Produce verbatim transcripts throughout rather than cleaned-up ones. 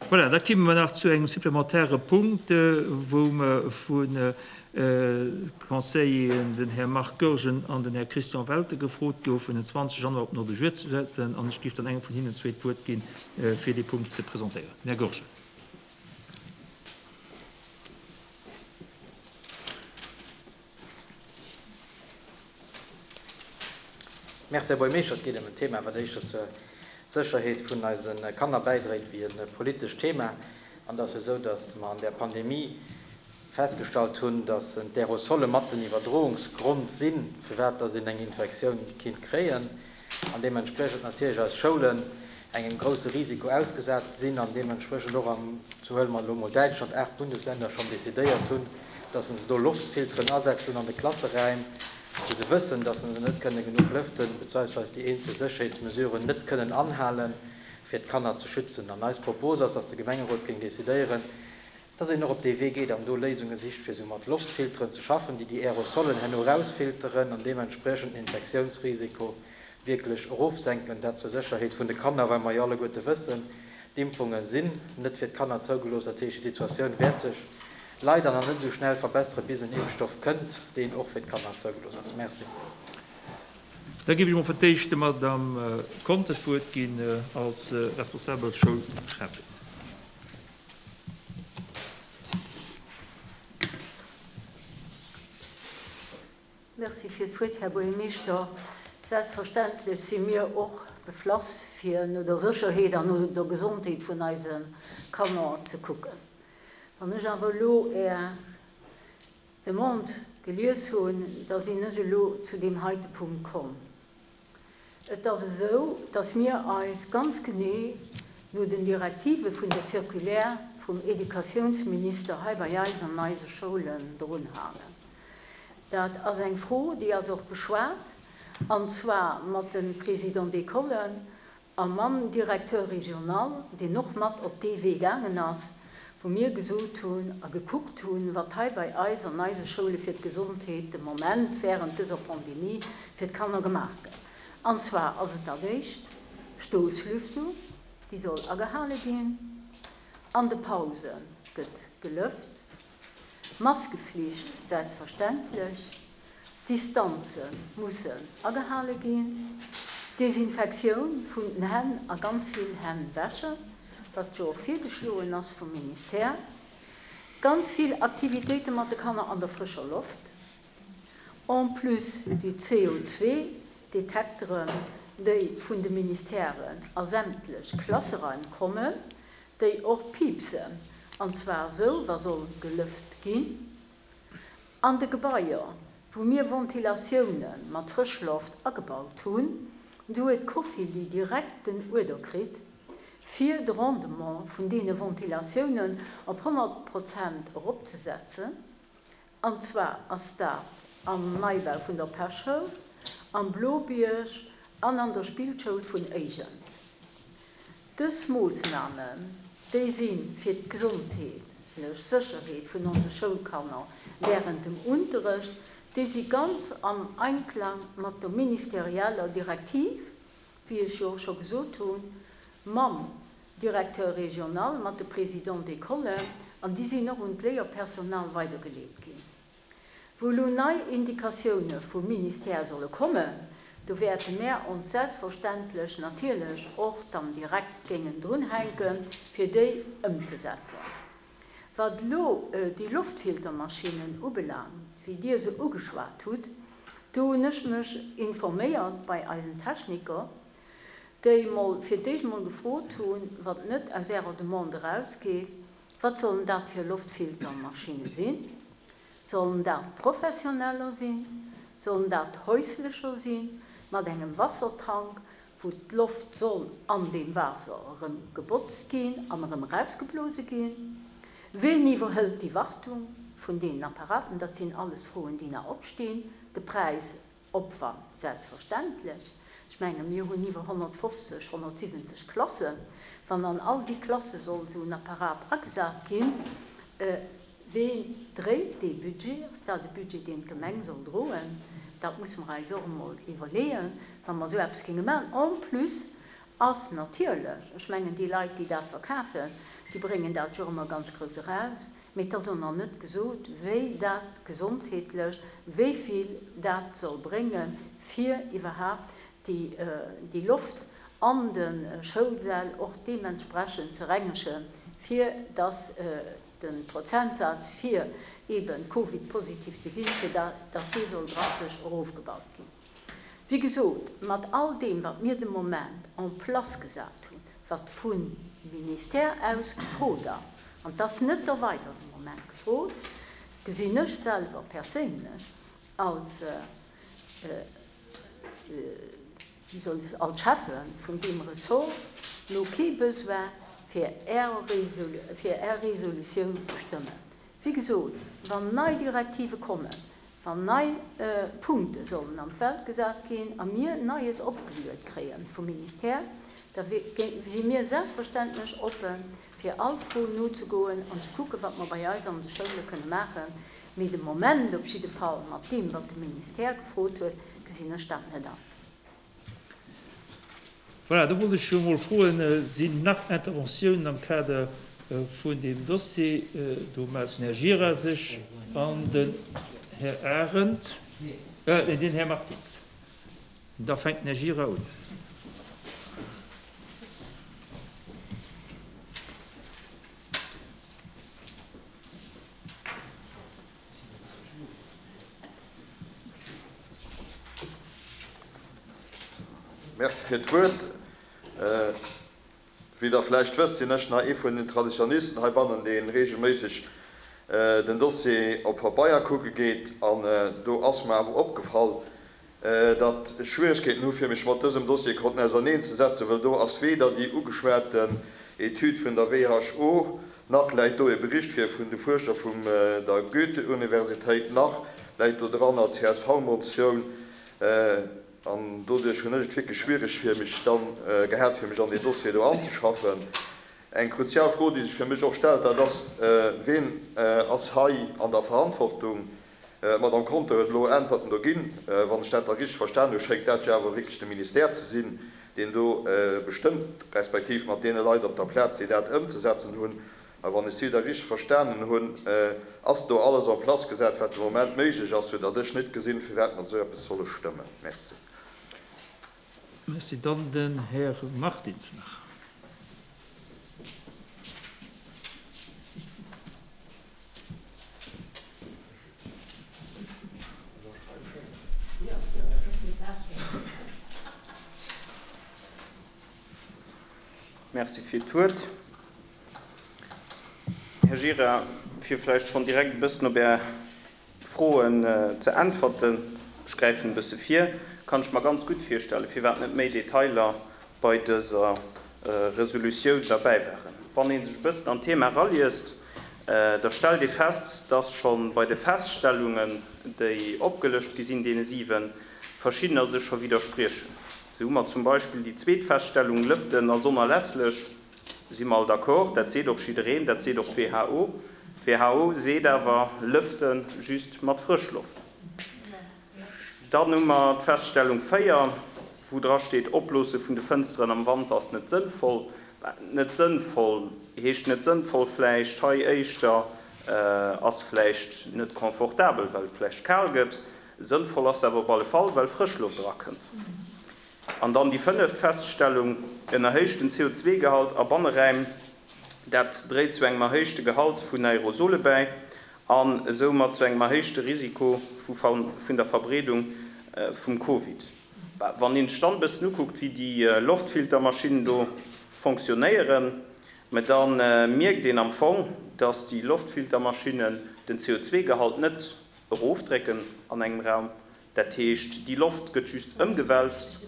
Voilà, da komme mer nach zu engem supplementäre Punkt, wou mer vun Conseilleren, den Här Marc Goergen an den Här Christian Welter, gefrot goufen, den zwanzeg Januar op den Ordre du jour ze setzen. An ech géif dann engem vun hinnen zwee d'Wuert ginn, fir dee Punkt ze presentéieren. Den Här Goergen. Merci, Här Buergermeeschter. Et geet ëm en Thema, wat éischter zur Sécherheet vun eise Kanner bäidréit wéi e politescht Thema. An et ass jo esou, datt mer an där Pandemie festgestallt hunn, datt d'Aerosole mat den Iwwerdroungsgrond sinn, firwat datt een eng Infektioun kinnt kréien. An deementspriechend natierlech eis Schoulen engem grousse Risiko ausgesat sinn an deementspriechend och am, sou huele mer elo mol Däitschland, aacht Bundesländer schonn decidéiert hunn, datt se do Loftfilteren asetzen an de Klasseräim, wou se wëssen, datt se net kënne genuch lëften, bezweisweis déi eenzel Sécherheetsmesuren net kënnen anhalen, fir d'Kanner ze schützen. An eis Propos ass, datt de Gemengerot géing decidéieren, datt een och op dee Wee geet an do Léisunge sicht, fir esou mat Loftfilteren ze schaffen, déi déi Aerosolen herno erausfilteren an deementspriechend den Infektiounsrisiko wierklech erofsenken. Dat zur Sécherheet vun de Kanner, well mer jo alleguerte wëssen, d'Impfunge sinn net fir d'Kanner zougelooss. Dat heescht, déi Situatioun wäert sech leider nach net esou schnell verbesseren, bis en Impfstoff kënnt, deen och fir d'Kanner zougelooss ass. Merci. Da géif ech emol fir d'éischt der Madame Conter d'Wuert ginn als responsabel Schoulcheffin. Merci fir d'Wuert, Här Buergermeeschter. Selbstverständlech si mir och beflass, fir no der Sécherheet an no der Gesondheet vun eise Kanner ze kucken. Wann ech awer elo Är Demande gelies hunn, da sinn ech elo zu deem heite Punkt komm. Et ass esou, dass mir eis ganz genee no den Direktive vun der Circulaire vum Educatiounsminister hei bei eis an eise Schoulen drunhalen. Dat ass eng Fro, déi ass och beschwat, an zwar mat de Présidents d'écolen a mam Directeur régional, deen och mat op dee Wee gaangen ass, wou mir gesot hunn a gekuckt hunn, wat hei bei eis an eise Schoule fir d'Gesondheet de Moment während dëser Pandemie fir d'Kanner gemaach gëtt. An zwar ass et dat éischt, Stoosslüftung, déi soll agehale ginn, an de Pause gëtt gelëft, Maskeflicht selbstverständlech, Distanze mussen agehale ginn, Desinfektioun vun den Hänn a ganz vill Hänn wäschen, wat jo och virgeschloen ass vum Ministère, ganz vill Aktivitéite mat de Kanner an der frëscher Loft, en plus déi C O zwei Detekteren, déi vun de Ministèren a sämtlech Klasseraim kommen, déi och piepsen, an zwar esou, wa soll gelëft ginn. An de Gebaier, wou mir Ventilatioune mat Frëschloft agebaut hunn, do huet d'Cofili direkt den Uerder kritt, fir de Rendement vun deene Ventilatiounen op honnert Prozent eropzesetzen. An zwar ass dat am Neibau vun der Pechschoul, am Blobierg an an der Spillschoul vun Éigen. Dës Moossnamen, déi si fir d'gesondheetlech Sécherheet vun onse Schoulkanner während dem Unterrecht, déi si ganz am Einklang mat der ministerieller Direktiv, wéi ech jo och scho gesot hunn, mam Directeur régional, mat de Présidents d'école, an déi sinn och un d'Léierpersonal weidergeleet ginn. Wou elo nei Indikatioune vum Ministère solle kommen, do wäerte mär ons selbstverständlech natierlech och dann direkt géingen drunhänken, fir déi ëmzesetzen. Wat elo déi Loftfiltermaschinnen ubelaangt, wéi Dir se ugeschwat hutt, do hunn ech mech informéiert bei eisen Techniker, déi mol fir d'éischt mol gefrot hunn, wat net aus ärer Demande erausgeet, wat sollen dat fir Loftfiltermaschinne sinn? Sollen dat professioneller sinn? Sollen dat häuslecher sinn, mat engem Wassertank, wou d'Loft soll an deem Waasser erëm gebotzt ginn an erëm erausgeblose ginn? Ween iwwerhëlt déi Wartung vun deenen Apparaten? Dat sinn alles Froen, déi nach opstinn. De Präis, Opwand, selbstverständlech. Ech menge mir hunn iwwer honnertfofzeg, honnertsiwwenzeg Klassen. Wann an all déi Klasse soll esou en Apparat agesat ginn, ween dréit dee Budget? Ass dat e Budget, deen d'Gemeng soll droen? Dat musse mer eis och emol iwwerleeën, wa mer esou eppes géinge maachen. En plus ass natierlech, ech mengen déi Leit, déi dat verkafen, Déi bréngen dat jo ëmmer ganz grouss eraus, mee et ass och nach net gesot, wéi dat gesondheetlech, wéi vill dat soll bréngen, fir iwwerhaapt déi, déi Loft an de Schoulsäll och deementsprechend ze rengegen, fir dass de Prozentsaz fir eeben Covid-positiv ze ginn, fir dass dee soll drastesch erofgebaut ginn. Wéi gesot, mat all deem, wat mir de Moment en place gesat hunn, wat vum Ministère aus gefrot ass, an et ass net derweider de Moment gefrot, gesinn ech selwer perséinlech als, wéi soll ech, als Schäffe vun deem Ressort elo kee Besoin, fir Är Resolutioun ze stëmmen. Wéi gesot, wann nei Direktive kommen, wann nei Punkte sollen an d'Welt gesat ginn a mir Neies opgeluet kréie vum Ministère, da si mir selbstverständlech oppen, fir all Fro nozegoen an ze kucken, wat mer bei eis an de Schoule kënne maachen. Mee de Moment op jidde Fall, mat deem, wat de Ministère gefrot huet, gesinn ech dat net an. Voilà, do wollt ech jo emol froen, Sinn nach Interventiounen am Kader vun deem Dossier? Do mellt den Här Gira sech an den Här Arendt, äh, den Här Martins. Da fänkt den Här Gira un. Merci fir d'Wuert. Wéi Der vläicht wësst, sinn ech nach ee vun den Traditionalisten heibannen, dee reegelméisseg den Dossier op Pabeier kucke geet. An do ass mer awer opgefall, datt ech Schwieregkeeten hu fir mech mat dësem Dossier konnten auserneenzesetzen, well do ass weder déi ugeschwaten Etüd vun der W H O, nach läit do e Bericht vir vun de Fuerscher vum der Goethe-Universitéit, nach läit do dran als C S V-Motioun. An doduerch hunn ech et wierklech schwiereg fir mech dann gehat, fir mech an deen Dossier do anzeschaffen. Eng kruzial Fro, déi sech fir mech och stellt, dat ass, Ween ass hei an der Verantwortung? D'Madame Conter huet elo Äntwerten do ginn. Wann ech dat da richteg verstan hu, schéngt dat jo awer wierklech de Ministère ze sinn, deen do bestëmmt, respektiv mat deene Leit op der Plaz, déi dat ëmzesetzen hunn. A wann ech si da richteg verstanen hunn, ass do alles en place gesat, wat de Moment méiglech ass, soudatt ech net gesinn, firwat mer esou eppes solle stëmmen. Merci. Merci. Dann den Här Martins nach. Merci fir d'Wuert. Här Gira, fir vläicht schonn direkt e bëssen op Är Froen ze äntwerten, ech gräifen e bësse vir, kann ech mer ganz gutt virstellen, firwat net méi Detailer bei dëser Resolutioun derbäi waren. Wann ee sech e bëssen an d'Thema eraliest, da stellt ee fest, dass scho bei de Feststellungen, déi opgelëscht gi sinn, deene siwen, verschiddener sech scho widderspriechen. Esou hu mer zum Beispill déi zweet Feststellung, Lëften ass onerlässlech. Si mer all d'accord, dat seet och jiddereen, dat seet och d'W H O. D'W H O seet awer, lëfte just mat Frëschloft. Dann hu mer d'Feststellung véier, wou dra steet, Opblose vun de Fënsteren am Wanter ass net sënnvoll. Net sënnvoll heescht net sënnvoll vläicht hei éischter, ass vläicht net confortabel, well et vläicht kal gëtt. Sënnvoll ass awer op alle Fall, well Frëschloft erakënnt. An dann déi fënneft Feststellung, en erhéichten C O zwee Gehalt a Banneräim, dat dréit zu engem erhéichte Gehalt vun Aerosole bäi an esoumat zu engem erhéichte Risiko vun der Verbreedung vum Covid. Wann een sech dann e bëssen ukuckt, wéi déi Loftfiltermaschinnen do fonctionnéieren, mä da mierkt een am Fong, dass déi Loftfiltermaschinnen den C O zwee Gehalt net erofdrécken an engem Raum. Dat heescht, déi Loft gëtt just ëmgewälzt,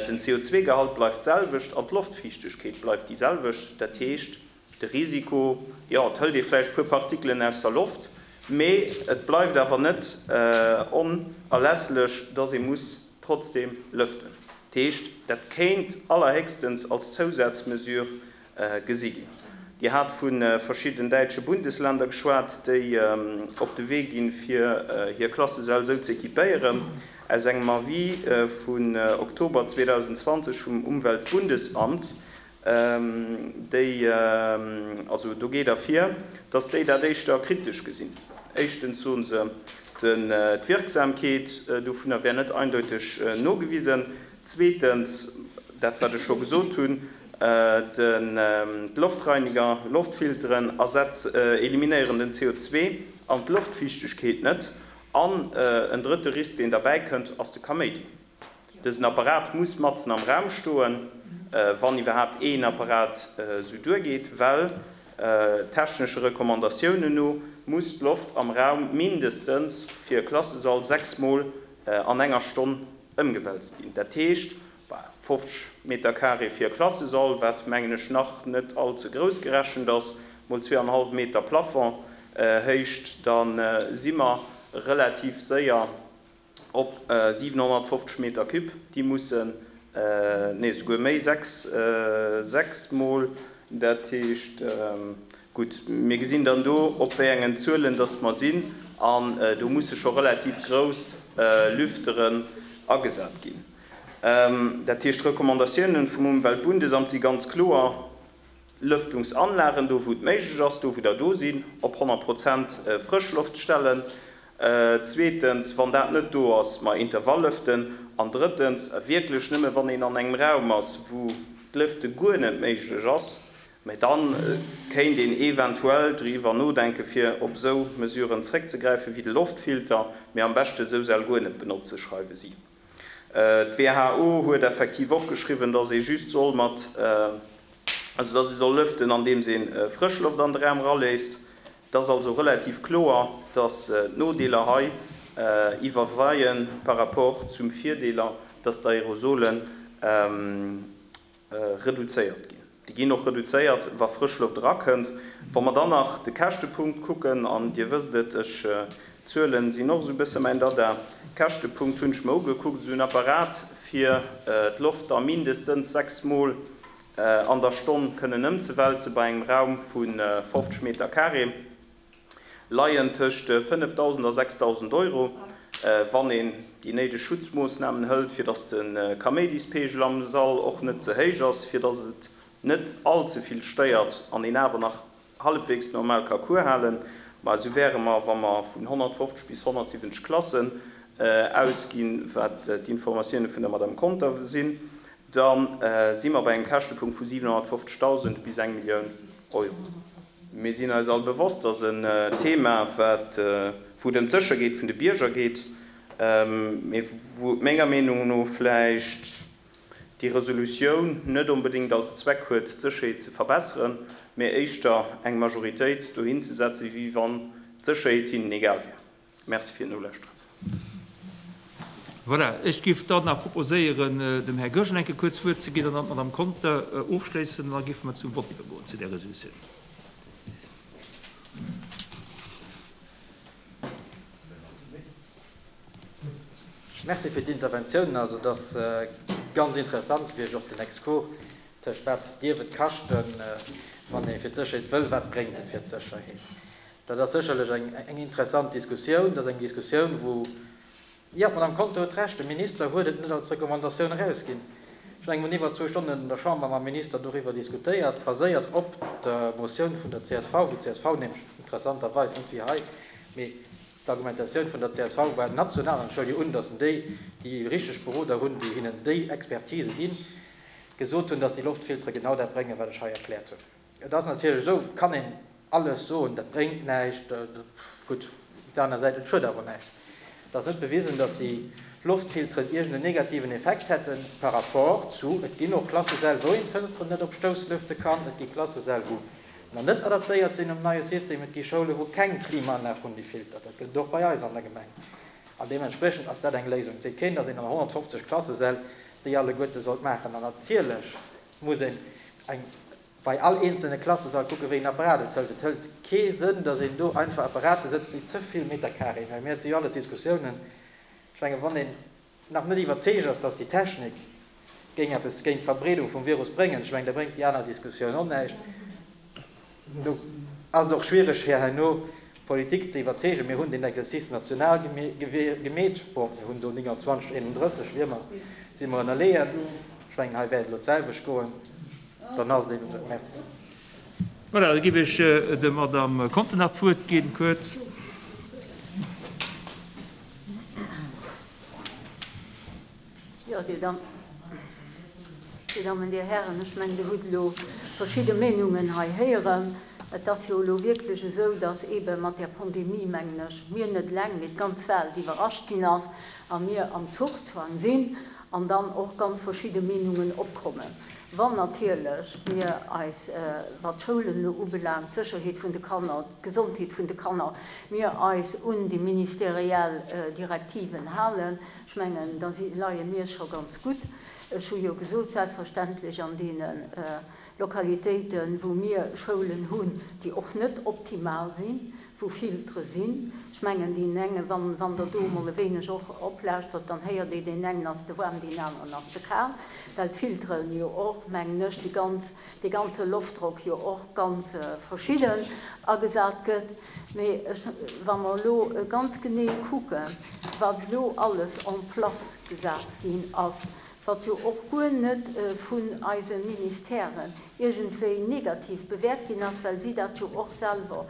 den C O zwee Gehalt bleift d'selwecht an d'Loftfiichtegkeet bleift déi selwecht. Dat heescht, de Risiko, jo, et hëlt ee vläicht e puer Partikelen aus der Loft, mee et bleift awer net onerlässlech, dass ee muss trotzdeem lëften. Dat heescht, dat kéint allerhéchstens als Zousazmesure gesi ginn. Dir hat vu verschidden däitsche Bundesländer geschwat, déi op de Wee ginn, fir hir Klassesäll esou ze equipéieren. Aus engem Avis vun Oktober zweedausendzwanzeg vum Umweltbundesamt déi, also do geet ervir, dass déi dat éischter kritesch gesinn. Éischtens soe se, d'Wirksamkeet dovunner wär net eindeuteg nogewisen. Zweetens, dat wat ech scho gesot hunn, d'Loftreiniger, Loftfilteren eliminéieren den C O zwei an d'Loftfiichtegkeet net. An en drëtte Risk, deen derbäi kënnt, ass de Kaméidi. Dësen Apparat muss matzen am Raum stoen, wann iwwerhaapt een Apparat sou duergeet, well technesche Recommandatiounen no muss d'Loft am Raum mindestens fir e Klassesall sechsmol an enger Stonn ëmgewälzt ginn. Dat heescht, fofzeg Meter Carré fir e Klassesall, wat mengen ech nach net allze grouss gerechent ass, mol zweieinhalb Meter Plafond héicht, dann si mer relativ séier op siewenhonnertfofzeg Meter Cube, déi mussen, nee, souguer méi, sechs, sechs mol, dat heescht, gutt, mir gesinn dann do, op wéi engen Zuelen dass mer sinn, an do musse scho relativ grouss Lüfteren agesat ginn. Dat heescht, d'Recommandatiounen vum Umweltbundesamt si ganz kloer, Lëftungsanlagen, do wou et méiglech ass, do wou der do sinn, op honnert Prozent Frëschloft stellen. Zweetens, wann dat net do ass, ma Intervalllëften. An drëttens, wierklech nëmme wann een an engem Raum ass, wou d'Lëfte guer net méiglech ass, mä dann kéint een eventuell driwwer nodenken, fir op esou Mesuren zréckzegräifen, wéi de Loftfilter, mä am beschte sou Säll guer net benotze, schreiwe si. D'W H O huet effektiv och geschriwwen, dass ee just soll mat, also dass ee soll lëften, andeems een Frëschloft an de Raum raléisst. Dat ass also relativ kloer, dass d'Nodeeler hei iwwerweien par rapport zum Virdeeler, dass d'Aerosolen reduzéiert ginn. Déi ginn och reduzéiert, wa Frëschloft erakënnt. Wa mer dann nach de Käschtepunkt kucken, an Dir wësst et, ech Zuelen sinn och sou e bësse mäin Dada. Käschtepunkt hunn ech mer ugekuckt, esou en Apparat fir d'Loft da mindestens sechs Mol an der Stonn kënnen ëmzewälze bei engem Raum vu fofzeg Meter Carré, leien tëscht fënnefdausend a sechsdausend Euro, wann een déi néideg Schutzmoossnamen hëlt, fir datt de Kaméidispegel am Sall och net ze héich ass, fir datt et net allze vill stéiert an een awer nach halbwegs normal ka Cours halen. Ma sou wäre mer, wa mer vun honnertfofzeg bis honnertsiwwenzeg Klassen ausginn, wat d'Informatioune vun der Madame Conter sinn, dann si mer bei engem Käschtepunkt vu siewenhonnertfofzegtausend bis eng Millioun Euro. Mir sinn eis all bewosst, dass en Thema, wat wou et ëm d'Sécherheet vun de Bierger geet, mee wou et menger Meenung no vläicht déi Resolutioun net onbedéngt als Zweck huet, d'Sécherheet ze verbessern, mee éischter eng Majoritéit dohin ze setzen, wéi wann d'Sécherheet hinnen egal wär. Merci fir d'Nolauschteren. Voilà, ech géif dann nach proposéieren, dem Här Goergen enke kuerz Wuert ze ginn an dann d'Madame Conter ofschléissen, an da géife mer zum Vott iwwergoen zu där Resolutioun. Merci fir d'Interventioun. Also dat ass ganz interessant, wéi ech och den Exkurs tëscht wat dierf et kaschten, wann ee fir d'Sécherheet wëll, wat bréngt et fir d'Sécherheet. Dat ass sécherlech eng, eng interessant Diskussioun. Dat ass eng Diskussioun, wou, ja, d'Madame Conter huet recht, de Minister huet et net als Recommandatioun erausginn. Ech hunn eng iwwer zwou Stonnen an der Chamber mam Minister doriwwer diskutéiert, baséiert op der Motioun vun der C S V, wou d'C S V nämlech interessanterweis net wéi hei, mee d'Argumentatioun vun der C S V war national, an ech huele jo un, dass déi, déi richteg Beroder hunn, déi hinnen déi Expertise ginn, gesot hunn, dass déi Loftfiltere genau dat bréngen, wat ech hei erkläert hunn. Et ass natierlech esou, kann een alles soen, dat bréngt näischt, gutt, op der aner Säit, et schued awer näischt. Et ass net bewisen, dass déi Loftfilteren irgendeinen negativen Effekt hätten par rapport zu, et ginn och Klassesäll, wou een d'Fënsteren net op Stouss lüfte kann, et gi Klassesäll, wou nach net adaptéiert sinn um neie System, et gi Schoule, wou keng Klimaanlag hunn, déi filtert. Dat gëtt och bei eis an der Gemeng. An deementsprechend ass dat eng Léisung. Et seet keen, dass een an honnertfofzeg Klassesäll déi alleguerte sollt maachen. An natierlech muss een eng bei all einzelne Klassesall kucken, wéi een Apparat et hëlt. Et hëlt kee Sënn, dass een do einfach Apparate sëtzt, déi ze vill Meter Carré hunn. Mir si jo alles Diskussiounen. Ech menge, wann een nach net iwwerzeegt ass, dass déi Technik géing eppes géint d'Verbreedung vum Virus bréngen, ech menge, da bréngt déi aner Diskussioun och näischt. Do ass et och schwierig, fir herno Politik ze iwwerzeegen. Mir hunn den Exercice national gemeet. Bon, mir hunn do neunundzwanzig, einunddrësseg, wie immer, si mer ënnerleeën. Ech menge, hei wäert et elo d'selwecht goen. Dann ass et eben esou. Merci. Voilà, da géif ech der Madame Conter nach d'Wuert ginn, kuerz. Jo, Dir Dammen, Dir Hären, ech mengen, Dir hutt elo verschidde Meenungen hei héieren. Et ass jo elo wierklech esou, dass eebe mat där Pandemie, mengen ech, mir net eleng, mee d'ganz Welt iwwerrascht ginn ass a mir am Zuchzwang sinn an dann och ganz verschidde Meenungen opkommen. Wann natierlech mir eis, wat d'Schoulen elo ubelaangt, d'Sécherheet vun de Kanner, d'Gesondheet vun de Kanner, mir eis un déi ministeriell Direktiven halen, ech mengen, da leie mir scho ganz gutt. Ech hu jo gesot, selbstverständlech an deene Lokalitéiten, wou mir Schoulen hunn, déi och net optimal sinn, wou Filtere sinn. Ech mengen, deen enge, wann, wann Der do emol e wéineg och oplauschtert, dann héiert ee, deen engen ass ze waarm, deen aneren ass ze kal, well d'Filteren jo och, mengen ech, déi ganz, dee ganze Loftdrock jo och ganz verschidden agesat gëtt. Mee ech, wa mer elo ganz genee kucken, wat elo alles en place gesat ginn ass, wat jo och guer net vun eise Ministèren iergendwéi negativ bewäert ginn ass, well si dat jo och selwer,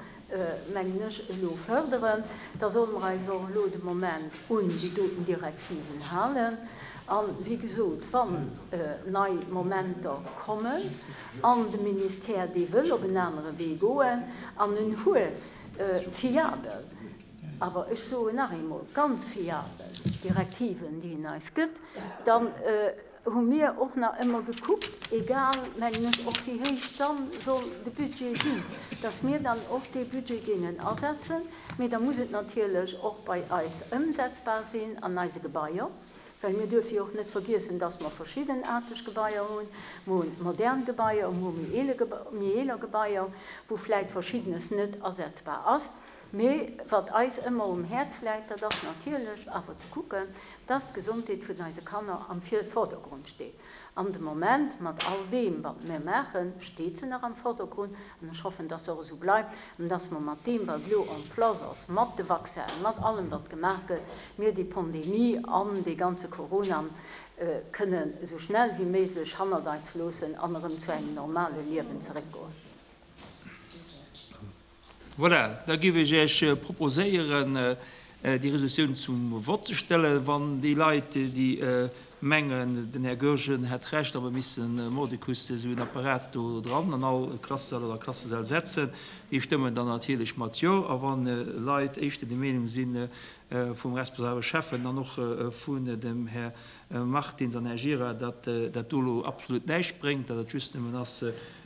mengen ech, elo fërderen, da solle mer eis och elo de Moment un déi doten Direktiven halen. A wéi gesot, wann nei Momenter kommen an de Ministère, dee wëll op en anere Wee goen an en huet fiabel, awer ech soen nach eemol, ganz fiabel Direktiven, déi en eis gëtt, dann hu mir och nach ëmmer gekuckt, egal, mengen ech, och wéi héich dann soll de Budget sinn, dass mir dann och dee Budget géingen asetzen. Mee da muss et natierlech och bei eis ëmsetzbar sinn an eise Gebaier, well mir duerfe jo och net vergiessen, dass mer verschiddenaarteg Gebaier hunn. Mer hunn modern Gebaier, mer hu méi eeler Gebaier, wou vläicht Verschiddenes net asetzbar ass. Mee wat eis ëmmer um Häerz läit, dat ass natierlech awer ze kucken, dass d'Gesondheet vun eise Kanner am Vordergrund steet. An de Moment, mat all deem, wat mir maachen, steet se nach am Vordergrund. An ech hoffen, dass se och esou bleift an dass mer mat deem, wat elo en place ass, mat de Vaccinen, mat allem, wat gemaach gëtt, mir déi Pandemie an dee ganze Corona kënnen esou schnell wéi méiglech hannert eis loossen an erëm zu engem normale Liewen zeréckgoen. Voilà, da géif ech Iech proposéieren, déi Resolutioun zum Vott ze stellen. Wann déi Leit, déi mengen, den Här Goergen hätt Recht a mer missten mordicus esou en Apparat do dran an all Klassesall oder Klassesäll setzen, déi stëmmen dann natierlech mat Jo. A wann Leit éischter der Meenung si vum responsabele Schäffen an och vun dem Här Martins an Här Gira, datt dat do elo absolut näischt bréngt, datt et just nëmmen ass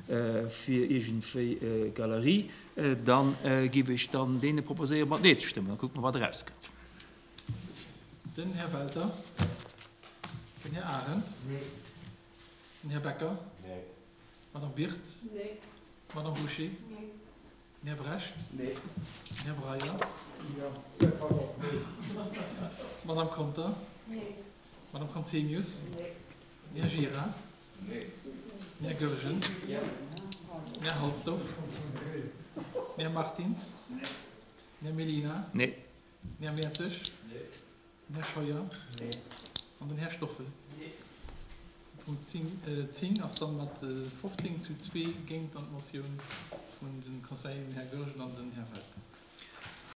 fir iergendwéi Galerie, da géif ech dann deene proposéieren, mat Nee ze stëmmen. Da kucke mer, wat erauskënnt. Den Här Welter. Den Här Arendt. Nee. Den Här Becker. Nee. D'Madame Birtz. Nee. D'Madame Bouché. Nee. Den Här Brecht. Nee. Den Här Breyer. Jo, pardon, nee. D'Madame Conter. Nee. D'Madame Conzemius. Nee. Den Här Gira. Nee. Den Här Goergen. Jo. Den Här Halsdorf. Den Här Martins. Nee. Den Här Mellina. Nee. Den Här Mertesch. Nee. Den Här Scheuer. Nee. An den Här Stoffel. Nee. De Punkt zéng ass dann mat fofzéng zu zwee géint dann d'Motioun vun de Conseilleren Här Goergen an den Här Welter.